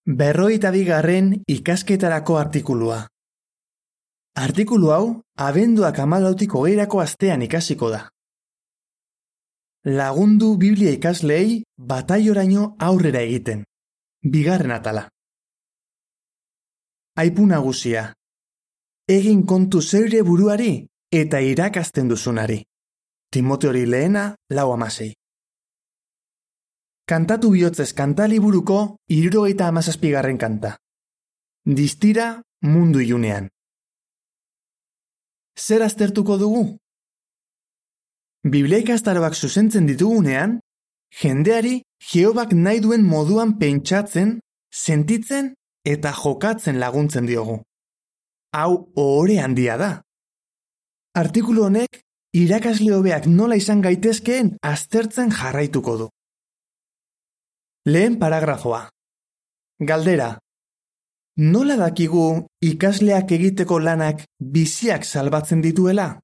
52. Ikasketarako artikulua. Artikulu hau, abenduak 14 astean ikasiko da. Lagundu Biblia ikasleei batailoraino aurrera egiten. 2. atala. Aipu nagusia. Egin kontu zeure buruari eta irakasten duzunari. Timoteori 4:6. Kantatu bihotzez kantaliburuko 77. kanta. Distira mundu ilunean. Zer aztertuko dugu? Biblia ikastaroak zuzentzen ditugunean, jendeari Jehobak nahi duen moduan pentsatzen, sentitzen eta jokatzen laguntzen diogu. Hau ohore handia da. Artikulu honek irakasle hobeak nola izan gaitezkeen aztertzen jarraituko du. Lehen paragrafoa. Galdera. Nola dakigu ikasleak egiteko lanak biziak salbatzen dituela?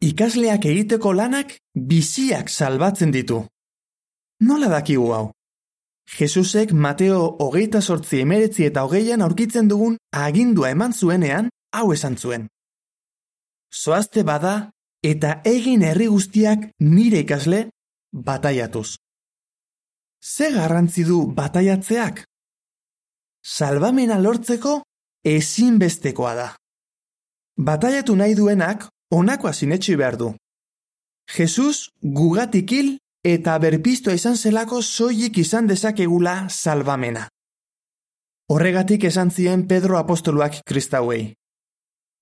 Ikasleak egiteko lanak biziak salbatzen ditu. Nola dakigu hau? Jesusek Mateo 28:19-20 aurkitzen dugun agindua eman zuenean hau esan zuen. Zoazte bada eta egin herri guztiak nire ikasle bataiatuz. Ze garrantzi du bataiatzeak? Salbamena lortzeko ezinbestekoa da. Bataiatu nahi duenak honakoa sinetsi behar du. Jesus gugatik hil eta berpiztua izan zelako soilik izan dezakegula salbamena. Horregatik esan zien Pedro apostoluak kristauei.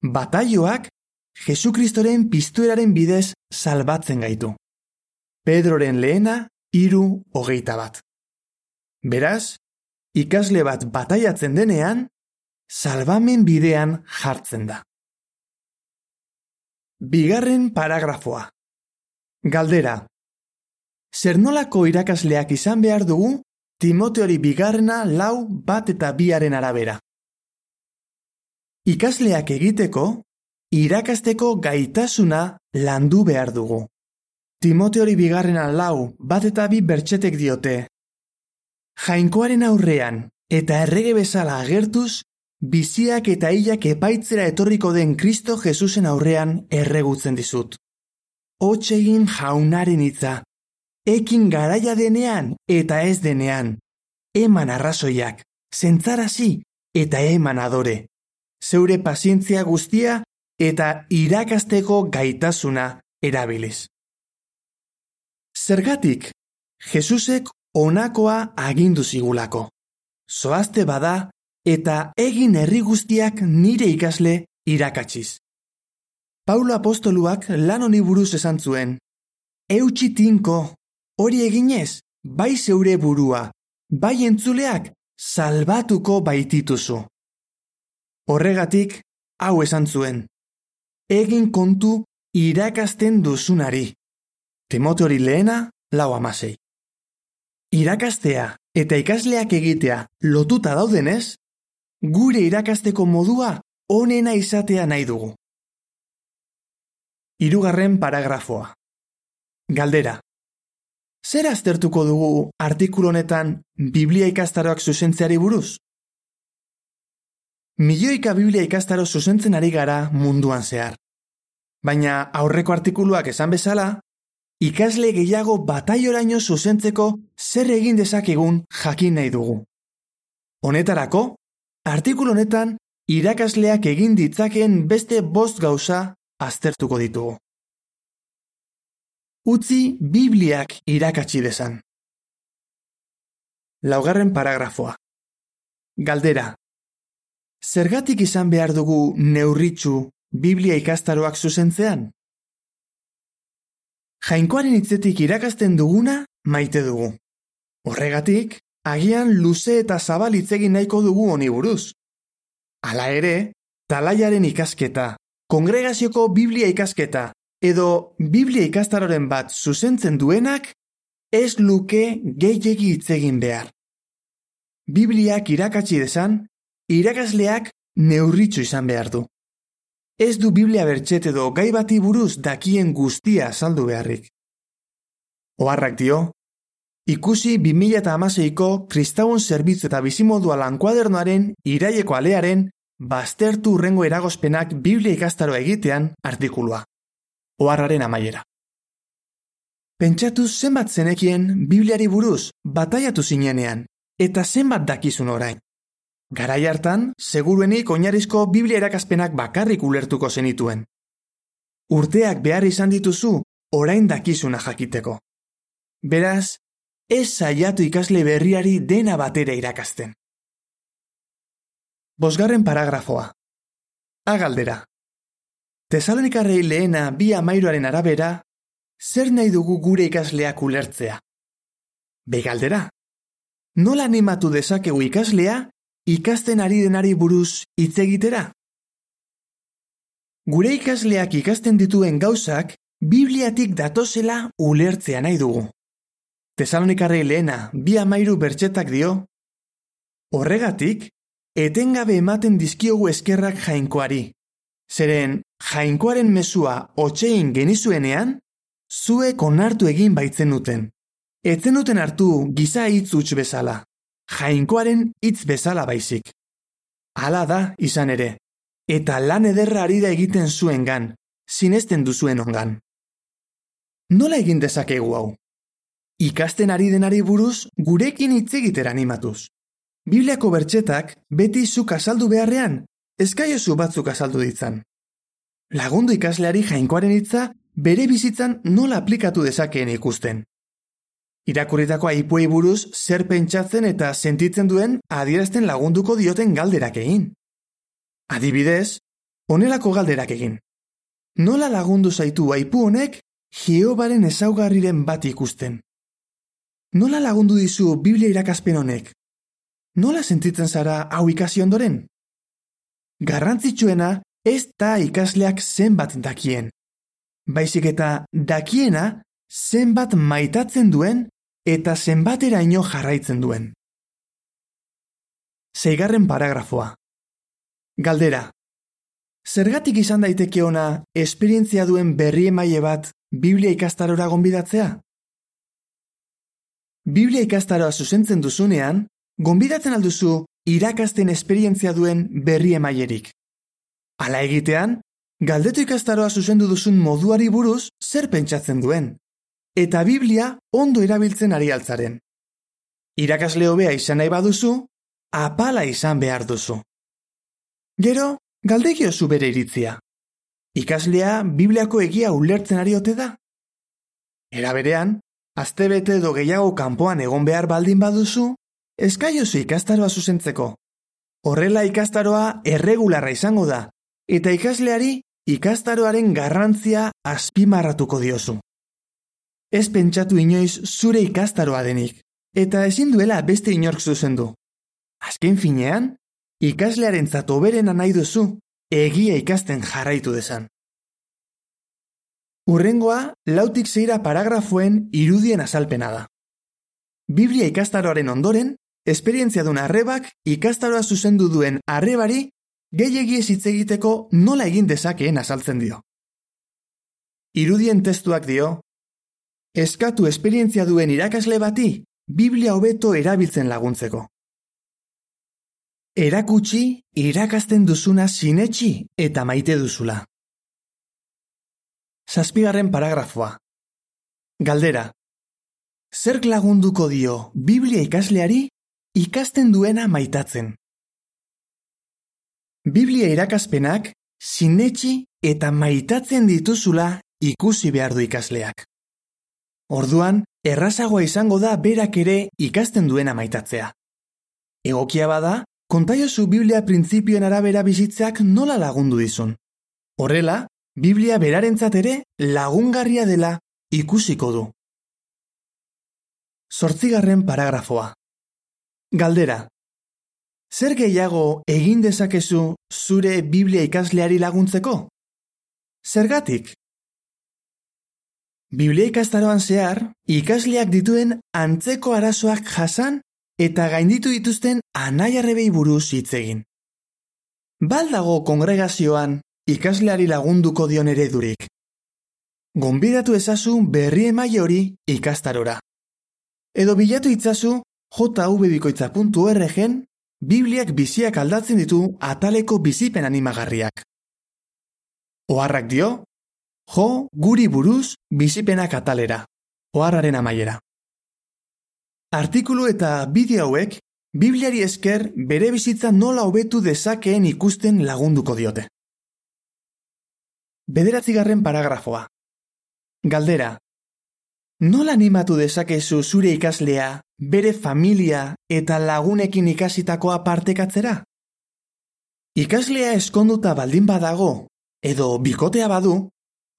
Bataioak Jesukristoren piztueraren bidez salbatzen gaitu. Pedroren 3:21. Beraz, ikasle bat bataiatzen denean, salbamen bidean jartzen da. 2. paragrafoa. Galdera. Zer nolako irakasleak izan behar dugu Timoteori 2:1-2 arabera? Ikasleak egiteko, irakasteko gaitasuna landu behar dugu. Timoteori 2:1-2 bertsetek diote. Jainkoaren aurrean eta errege bezala agertuz, biziak eta hilak epaitzera etorriko den Kristo Jesusen aurrean erregutzen dizut. Hots egin jaunaren hitza, ekin garaia denean eta ez denean, eman arrazoiak, zentzarazi eta eman adore, zeure pazientzia guztia eta irakasteko gaitasuna erabiliz. Zergatik, Jesusek honakoa agindu zigulako. Zoazte bada eta egin herri guztiak nire ikasle irakatsiz. Paulo apostoluak lan honi buruz esan zuen. Eutsi tinko, hori eginez, bai zeure burua, bai entzuleak salbatuko baitituzu. Horregatik, hau esan zuen. Egin kontu irakasten duzunari. Timoteori 4:6. Irakastea eta ikasleak egitea lotuta daudenez, gure irakasteko modua onena izatea nahi dugu. 3. paragrafoa. Galdera. Zer aztertuko dugu artikulu honetan Biblia ikastaroak zuzentzeari buruz? Milioika Biblia ikastaro zuzentzen ari gara munduan zehar. Baina aurreko artikuluak esan bezala, ikasle gehiago batailoraino zuzentzeko zer egin dezakegun jakin nahi dugu. Honetarako, artikulu honetan irakasleak egin ditzakeen beste 5 gauza aztertuko ditugu. Utzi Bibliak irakatsi dezan. 4. paragrafoa. Galdera. Zergatik izan behar dugu neurritsu Biblia ikastaroak zuzentzean? Jainkoaren hitzetik irakasten duguna maite dugu. Horregatik, agian luze eta zabal hitz egin nahiko dugu honi buruz. Hala ere, talaiaren ikasketa, kongregazioko Biblia ikasketa edo Biblia ikastaroren bat zuzentzen duenak ez luke gehiegi hitz egin behar. Bibliak irakatsi dezan, irakasleak neurritsu izan behar du. Ez du Biblia bertset edo gai bati buruz dakien guztia azaldu beharrik. Oharrak dio, ikusi 2016ko Kristauen zerbitzu eta bizimodua lankuadernoaren iraileko alearen baztertu hurrengo eragozpenak Biblia ikastaroa egitean artikulua. Oharraren amaiera. Pentsatu zenbat zenekien Bibliari buruz bataiatu zinenean, eta zenbat dakizun orain. Garai hartan, seguruenik oinarrizko Biblia erakaspenak bakarrik ulertuko zenituen. Urteak behar izan dituzu, orain dakizuna jakiteko. Beraz, ez saiatu ikasle berriari dena batera irakasten. 5. paragrafoa. Galdera. Tesalonikarrei lehena 2:13 arabera, zer nahi dugu gure ikasleak ulertzea? Galdera. Nola animatu dezakegu ikaslea ikasten ari denari buruz hitz egitera? Gure ikasleak ikasten dituen gauzak Bibliatik datozela ulertzea nahi dugu. Tesalonikarrei lehena 2:13 bertsetak dio, horregatik, etengabe ematen dizkiogu eskerrak jainkoari. Zeren, jainkoaren mezua hotsein genizuenean, zuek onartu egin baitzenuten. Etzenuten hartu giza hitz huts bezala, jainkoaren hitz bezala baizik. Hala da izan ere, eta lan ederra ari da egiten zuengan, sinesten duzuen ongan. Nola egin dezakegu hau? Ikasten ari denari buruz gurekin hitz egitera animatuz. Bibliako bertsetak beti zuk azaldu beharrean, eskaiozu batzuk azaldu ditzan. Lagundu ikasleari jainkoaren hitza bere bizitzan nola aplikatu dezakeen ikusten. Irakurritako aipuei buruz zer pentsatzen eta sentitzen duen adierazten lagunduko dioten galderak egin. Adibidez, honelako galderak egin. Nola lagundu zaitu aipu honek Jehovaren ezaugarriren bat ikusten? Nola lagundu dizu Biblia irakaspen honek? Nola sentitzen zara hau ikasi ondoren? Garrantzitsuena ez da ikasleak zenbat dakien. Baizik eta dakiena zenbat maitatzen duen eta zenbateraino jarraitzen duen. 6. paragrafoa. Galdera. Zergatik izan daiteke ona esperientzia duen berri emaile bat Biblia ikastarora gonbidatzea? Biblia ikastaroa zuzentzen duzunean, gonbidatzen alduzu irakasten esperientzia duen berri emailerik. Hala egitean, galdetu ikastaroa zuzendu duzun moduari buruz zer pentsatzen duen, eta Biblia ondo erabiltzen ari altzaren. Irakasle hobea izan nahi baduzu, apala izan behar duzu. Gero, galdegiozu bere iritzia. Ikaslea Bibliako egia ulertzen ari ote da? Era berean, astebete edo gehiago kanpoan egon behar baldin baduzu, eskaiozu ikastaroa zuzentzeko. Horrela ikastaroa erregularra izango da, eta ikasleari ikastaroaren garrantzia azpimarratuko diozu. Ez pentsatu inoiz zure ikastaroa denik, eta ezin duela beste inork zuzendu. Azken finean, ikaslearentzat hoberena nahi duzu, egia ikasten jarraitu dezan. Hurrengoa, 4-6 paragrafoen irudien azalpena da. Biblia ikastaroaren ondoren, esperientzia duen arrebak ikastaroa zuzendu duen arrebari gehiegi ez hitz egiteko nola egin dezakeen azaltzen dio. Irudien testuak dio, eskatu esperientzia duen irakasle bati Biblia hobeto erabiltzen laguntzeko. Erakutsi irakasten duzuna sinetsi eta maite duzula. 7. paragrafoa. Galdera. Zerk lagunduko dio Biblia ikasleari ikasten duena maitatzen? Biblia irakaspenak sinetsi eta maitatzen dituzula ikusi behar du ikasleak. Orduan, errazagoa izango da berak ere ikasten duena maitatzea. Egokia bada, kontaiozu Biblia printzipioen arabera bizitzeak nola lagundu dizun. Horrela, Biblia berarentzat ere lagungarria dela ikusiko du. 8. paragrafoa. Galdera. Zer gehiago egin dezakezu zure Biblia ikasleari laguntzeko? Zergatik? Biblia ikastaroan zehar, ikasleak dituen antzeko arazoak jasan eta gainditu dituzten anai-arrebei buruz hitz egin. Baldago kongregazioan ikasleari lagunduko dion eredurik. Gonbidatu ezazu berri emaile hori ikastarora. Edo bilatu itzazu jvbikoitza.org-en Bibliak biziak aldatzen ditu ataleko bizipen animagarriak. Oharrak dio, jo guri buruz bizipenak atalera, oharraren amaiera. Artikulu eta bideo hauek Bibliari esker bere bizitza nola hobetu dezakeen ikusten lagunduko diote. 9. paragrafoa. Galdera. Nola animatu dezakezu zure ikaslea, bere familia eta lagunekin ikasitakoa partekatzera? Ikaslea eskonduta baldin badago, edo bikotea badu,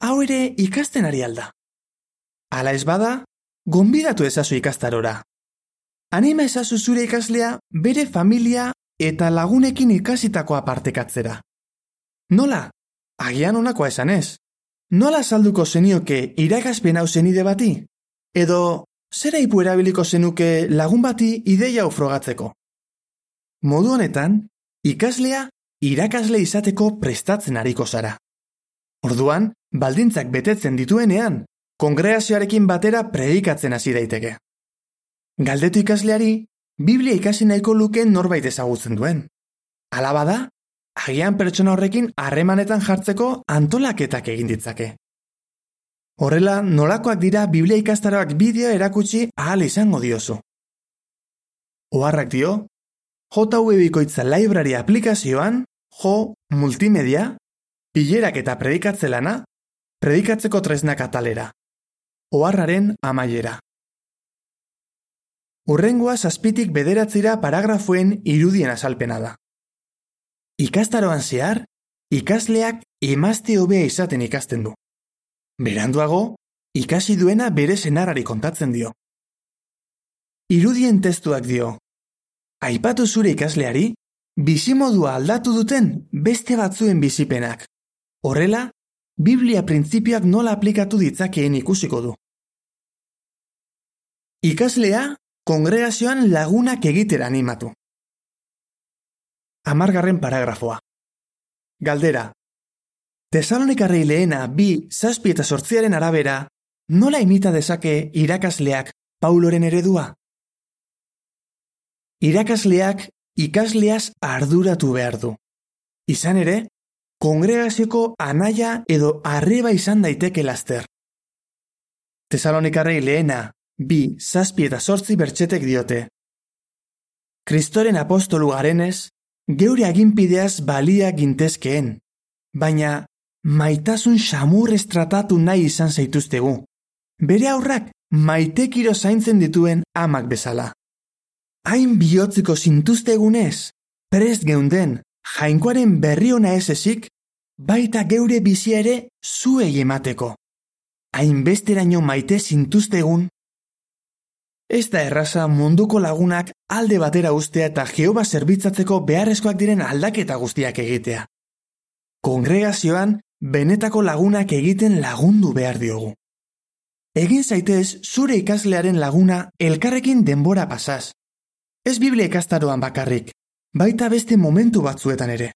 hau ere ikasten ari alda. Hala ez bada, gonbidatu ezazu ikastarora. Anima ezazu zure ikaslea, bere familia eta lagunekin ikasitakoa partekatzera. Nola? Agian honakoa esanez. Nola salduko zenioke irakaspen hau zenide bati? Edo, zera ipu erabiliko zenuke lagun bati ideia hau frogatzeko? Modu honetan, ikaslea irakasle izateko prestatzen ariko zara. Orduan, baldintzak betetzen dituenean, kongregazioarekin batera predikatzen hasi daiteke. Galdetu ikasleari, Biblia ikasi nahiko luke norbait ezagutzen duen. Hala bada, agian pertsona horrekin harremanetan jartzeko antolaketak egin ditzake. Horrela, nolakoak dira Biblia ikastaroak bideo erakutsi ahal izango diozu. Oharrak dio, JVBikoitza Library aplikazioan, multimedia, bilerak eta predikatzelana, predikatzeko tresnak atalera. Oharraren amaiera. Hurrengoa 7tik 9 paragrafoen irudien azalpena da. Ikastaroan zehar, ikasleak emazte hobea izaten ikasten du. Beranduago, ikasi duena bere senarrari kontatzen dio. Irudien testuak dio. Aipatu zure ikasleari, bizimodua aldatu duten beste batzuen bizipenak. Horrela, Biblia printzipioak nola aplikatu ditzakeen ikusiko du. Ikaslea, kongregazioan lagunak egitera animatu. 10. paragrafoa. Galdera. Tesalonikarrei lehena 2:7-8 arabera, nola imita dezake irakasleak Pauloren eredua? Irakasleak ikasleaz arduratu behar du. Izan ere, kongregazioko anaia edo arreba izan daiteke laster. Tesalonikarrei lehena 2:7-8 bertsetek diote. Kristoren apostolu garenez, geure aginpideaz balia gintezkeen, baina maitasun xamurrez tratatu nahi izan zaituztegu. Bere aurrak maitekiro zaintzen dituen amak bezala. Hain bihotziko zintuztegunez, prest geunden, jainkoaren berri ona ez ezik, baita geure bizia ere zuei emateko. Hainbesteraino maite zintuztegun. Ez da erraza munduko lagunak alde batera ustea eta Jehova zerbitzatzeko beharrezkoak diren aldaketa guztiak egitea. Kongregazioan benetako lagunak egiten lagundu behar diogu. Egin zaitez zure ikaslearen laguna elkarrekin denbora pasaz. Ez Biblia ikastaroan bakarrik, baita beste momentu batzuetan ere.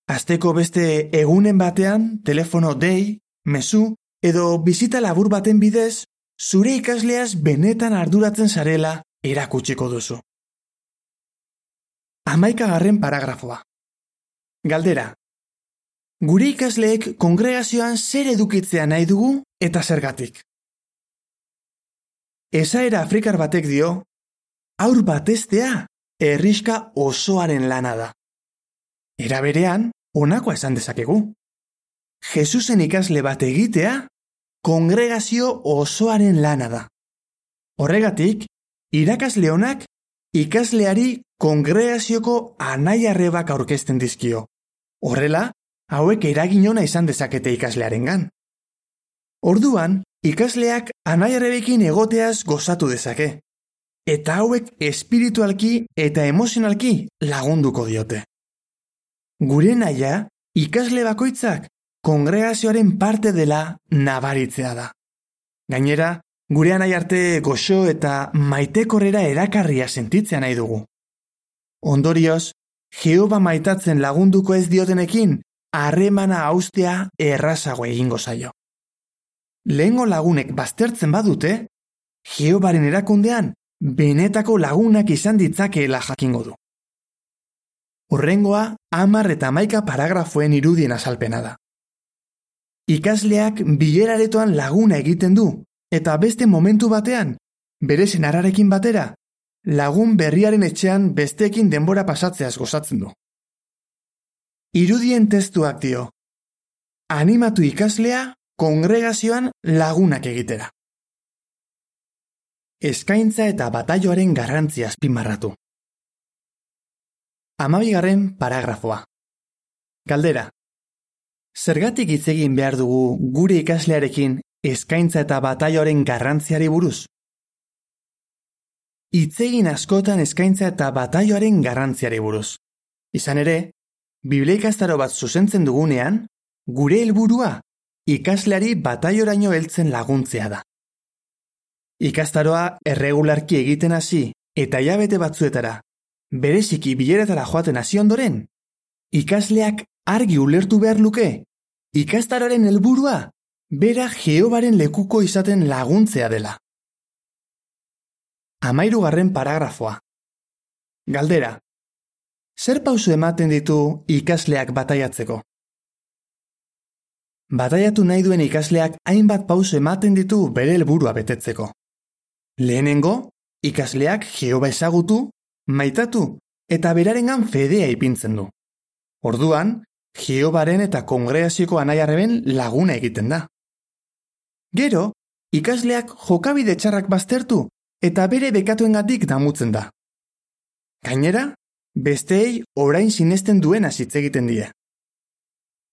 Asteko beste egunen batean, telefono dei, mezu edo bizita labur baten bidez, zure ikasleaz benetan arduratzen zarela erakutsiko duzu. 11. paragrafoa. Galdera. Gure ikasleek kongregazioan zer edukitzea nahi dugu eta zergatik? Esaera afrikar batek dio, haur bat heztea herrixka osoaren lana da. Era berean, honakoa esan dezakegu. Jesusen ikasle bat egitea, kongregazio osoaren lana da. Horregatik, irakasle honak ikasleari kongregazioko anai-arrebak aurkezten dizkio. Horrela, hauek eragin ona izan dezakete ikaslearengan. Orduan, ikasleak anai-arrebekin egoteaz gozatu dezake. Eta hauek espiritualki eta emozionalki lagunduko diote. Gure naia, ikasle bakoitzak kongregazioaren parte dela nabaritzea da. Gainera, gure anai arte goxo eta maitekorrera erakarria sentitzea nahi dugu. Ondorioz, Jehova maitatzen lagunduko ez diotenekin, harremana haustea errazago egingo zaio. Lehengo lagunek baztertzen badute, Jehovaren erakundean benetako lagunak izan ditzakeela jakingo du. Hurrengoa 10 eta 11 paragrafoen irudien azalpena da. Ikasleak bileraretoan laguna egiten du, eta beste momentu batean, bere senarrarekin batera, lagun berriaren etxean besteekin denbora pasatzeaz gozatzen du. Irudien testuak dio, animatu ikaslea kongregazioan lagunak egitera. Eskaintza eta bataioaren garrantzia azpimarratu. 12. paragrafoa. Galdera. Zergatik hitz egin behar dugu gure ikaslearekin eskaintza eta bataioaren garrantziari buruz? Hitz egin askotan eskaintza eta bataioaren garrantziari buruz. Izan ere, Biblia ikastaro bat zuzentzen dugunean, gure helburua ikasleari bataioraino heltzen laguntzea da. Ikastaroa erregularki egiten hasi eta hilabete batzuetara, bereziki bileretara joaten hasi ondoren, ikasleak argi ulertu behar luke, ikastaroaren helburua bera Jehovaren lekuko izaten laguntzea dela. 13. paragrafoa. Galdera. Zer pauso ematen ditu ikasleak bataiatzeko? Bataiatu nahi duen ikasleak hainbat pauso ematen ditu bere helburua betetzeko. Lehenengo, ikasleak Jehova ezagutu, maitatu eta berarengan fedea ipintzen du. Orduan, Jehovaren eta kongregazioko anaiarreben laguna egiten da. Gero, ikasleak jokabide txarrak baztertu eta bere bekatuengatik damutzen da. Gainera, besteei orain sinesten duena hitz egiten die.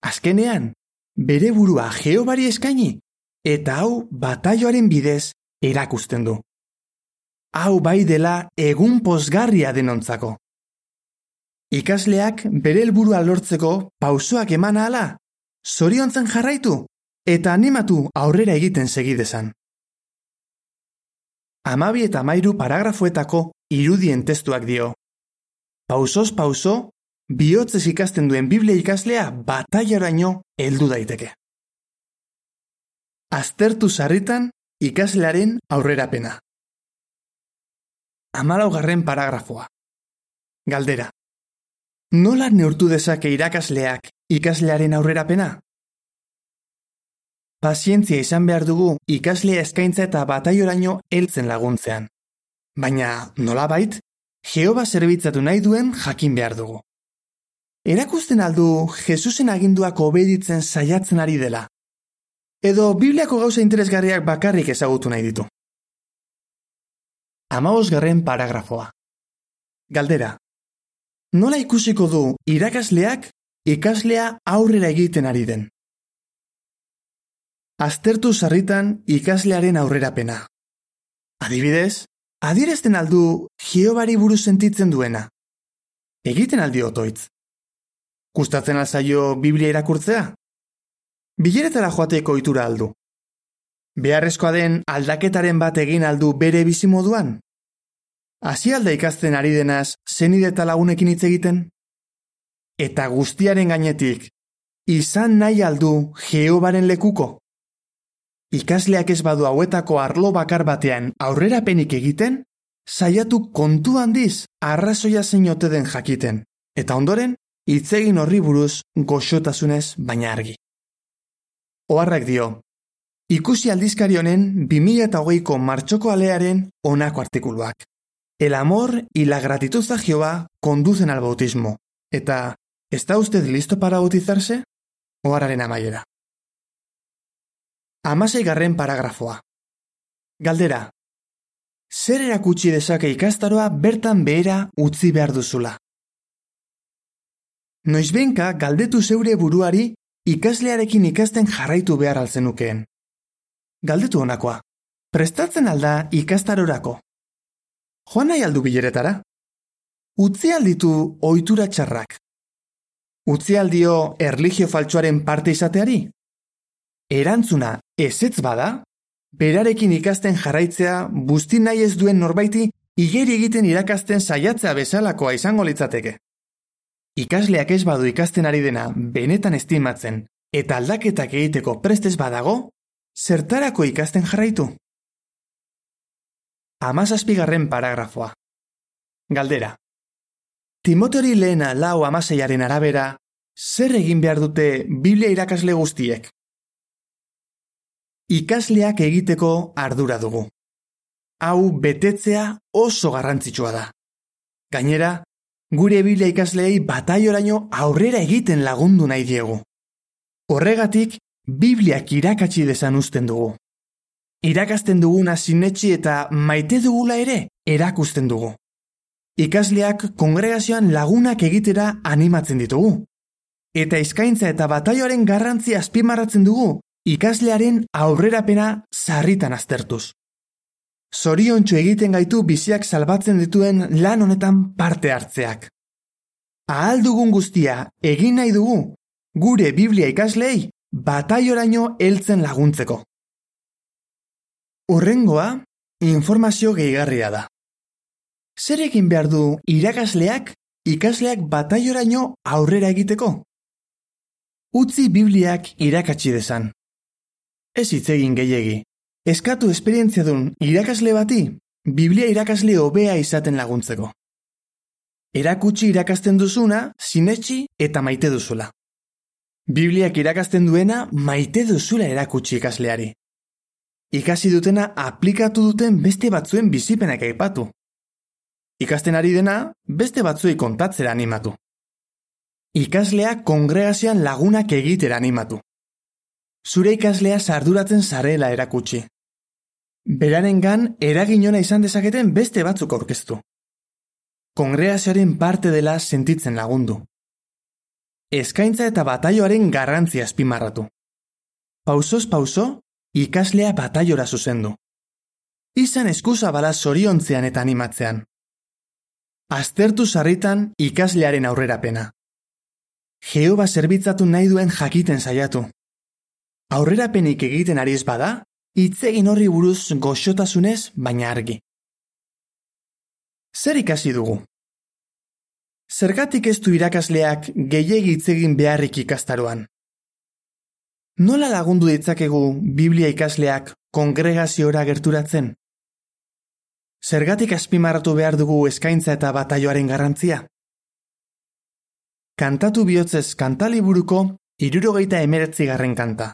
Azkenean, bere burua Jehovari eskaini eta hau bataioaren bidez erakusten du. Hau bai dela egun pozgarria denontzako. Ikasleak bere helburua lortzeko pausoak eman ahala, zoriontzen jarraitu eta animatu aurrera egiten segidezan. 12 eta 13 paragrafoetako irudien testuak dio. Pausoz pauso, bihotzez ikasten duen Biblia ikaslea bataiaraino heldu daiteke. Aztertu sarritan ikaslearen aurrerapena. 14. paragrafoa. Galdera. Nola neurtu dezake irakasleak ikaslearen aurrerapena? Pazientzia izan behar dugu ikaslea eskaintza eta bataioraino heltzen laguntzean. Baina, nolabait, Jehova zerbitzatu nahi duen jakin behar dugu. Erakusten aldu Jesusen aginduak obeditzen saiatzen ari dela. Edo Bibliako gauza interesgarriak bakarrik ezagutu nahi ditu. 15. paragrafoa. Galdera. Nola ikusiko du irakasleak ikaslea aurrera egiten ari den? Aztertu sarritan ikaslearen aurrerapena. Adibidez, adierazten aldu Jehovari buruz sentitzen duena. Egiten aldi otoitz. Gustatzen alzaio Biblia irakurtzea? Bileretara joateko ohitura aldu. Beharrezkoa den aldaketaren bat egin aldu bere bizimoduan? Hasi alda ikasten ari denaz zenide eta lagunekin hitz egiten? Eta guztiaren gainetik, izan nahi aldu Jehovaren lekuko? Ikasleak ez badu hauetako arlo bakar batean aurrerapenik egiten, saiatu kontu handiz arrazoia zein ote den jakiten, eta ondoren, hitz egin horri buruz goxotasunez baina argi. Oharrak dio, ikusi aldizkari honen 2008ko martxoko alearen honako artikuluak. El amor y la gratitud a Jehová conducen al bautismo. Eta, ¿está usted listo para bautizarse? Oharraren amaiera. 16. paragrafoa. Galdera. Zer erakutsi dezake ikastaroa bertan behera utzi behar duzula? Noizbenka galdetu zeure buruari ikaslearekin ikasten jarraitu behar alzenukeen. Galdetu honakoa. Prestatzen alda ikastarorako? Joan nahi aldu bileretara? Utzi alditu ohitura txarrak? Utzi aldio erlijio faltsuaren parte izateari? Erantzuna ezetz bada, berarekin ikasten jarraitzea busti nahi ez duen norbaiti igeri egiten irakasten saiatzea bezalakoa izango litzateke. Ikasleak ez badu ikasten ari dena benetan estimatzen eta aldaketak egiteko prest ez badago, zertarako ikasten jarraitu? 17. paragrafoa. Galdera. Timoteori lehena 4:16 arabera, zer egin behar dute Biblia irakasle guztiek? Ikasleak egiteko ardura dugu. Hau betetzea oso garrantzitsua da. Gainera, gure Biblia ikasleei batailoraino aurrera egiten lagundu nahi diegu. Horregatik, Bibliak irakatsi dezan uzten dugu. Irakasten duguna sinetsi eta maite dugula ere erakusten dugu. Ikasleak kongregazioan lagunak egitera animatzen ditugu. Eta eskaintza eta batailoaren garrantzia azpimarratzen dugu ikaslearen aurrerapena sarritan aztertuz. Zoriontsu egiten gaitu biziak salbatzen dituen lan honetan parte hartzeak. Ahal dugun guztia egin nahi dugu gure Biblia ikasleei batailoraino heltzen laguntzeko. Hurrengoa, informazio gehigarria da. Zer egin behar du irakasleak ikasleak batailoraino aurrera egiteko? Utzi Bibliak irakatsi dezan. Ez hitz egin gehiegi. Eskatu esperientziadun irakasle bati Biblia irakasle hobea izaten laguntzeko. Erakutsi irakasten duzuna, sinetsi eta maite duzula. Bibliak irakasten duena maite duzula erakutsi ikasleari. Ikasi dutena aplikatu duten beste batzuen bizipenak aipatu. Ikasten ari dena beste batzuei kontatzera animatu. Ikaslea kongregazioan lagunak egitera animatu. Zure ikaslea sarduratzen zarela erakutsi. Berarengan eraginona izan dezaketen beste batzuk aurkeztu. Kongregazioaren parte dela sentitzen lagundu. Eskaintza eta batailoaren garrantzia azpimarratu. Pausoz pauso, ikaslea bataiora zuzendu. Izan eskuzabala zoriontzean eta animatzean. Aztertu sarritan ikaslearen aurrerapena. Jehova zerbitzatu nahi duen jakiten saiatu. Aurrerapenik egiten ari ez bada, hitz egin horri buruz goxotasunez baina argi. Zer ikasi dugu? Zergatik ez du irakasleak gehiegi hitz egin beharrik ikastaroan? Nola lagundu ditzakegu Biblia ikasleak kongregaziora gerturatzen? Zergatik azpimarratu behar dugu eskaintza eta batailoaren garrantzia? Kantatu bihotzez kantaliburuko 79. kanta.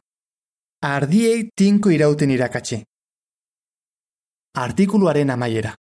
Ardiei tinko irauten irakatsi. Artikuluaren amaiera.